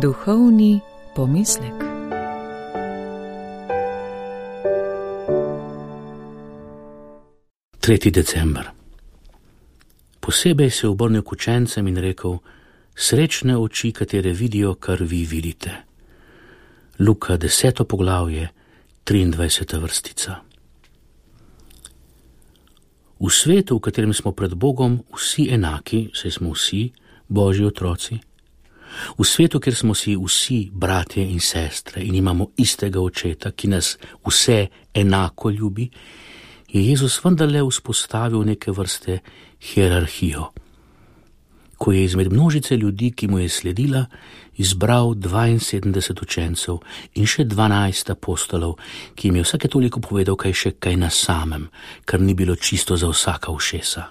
Duhovni pomislek. Tretji december. Posebej se je obrnil k učencem in rekel: srečne oči, katere vidijo, kar vi vidite. Luka 10. poglavje, 23. vrstica. V svetu, v katerem smo pred Bogom vsi enaki, saj smo vsi Božji otroci, v svetu, kjer smo si vsi bratje in sestre in imamo istega očeta, ki nas vse enako ljubi, je Jezus vendarle vzpostavil neke vrste hierarhijo, ko je izmed množice ljudi, ki mu je sledila, izbral 72 učencev in še 12 apostolov, ki jim je vsake toliko povedal kaj na samem, kar ni bilo čisto za vsaka ušesa.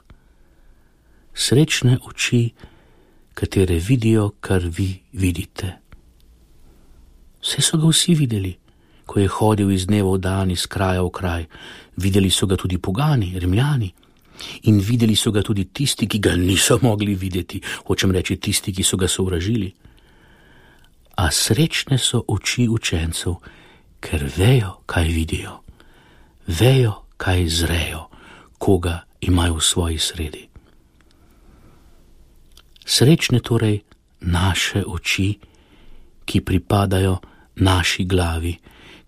Srečne oči, katere vidijo, kar vi vidite. Vse so ga vsi videli, ko je hodil iz dneva v dan, iz kraja v kraj. Videli so ga tudi pogani, Rimljani, in videli so ga tudi tisti, ki ga niso mogli videti, hočem reči tisti, ki so ga sovražili. A srečne so oči učencev, ker vejo, kaj vidijo, vejo, kaj zrejo, koga imajo v svoji sredi. Srečne torej naše oči, ki pripadajo naši glavi,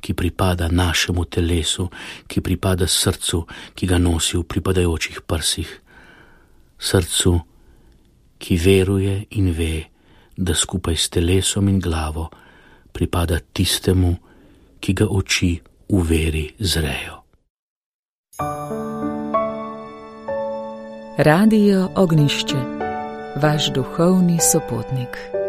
ki pripada našemu telesu, ki pripada srcu, ki ga nosi v pripadajočih prsih. Srcu, ki veruje in ve, da skupaj s telesom in glavo pripada tistemu, ki ga oči v veri zrejo. Radio Ognjišče, vaš duhovni sopotnik.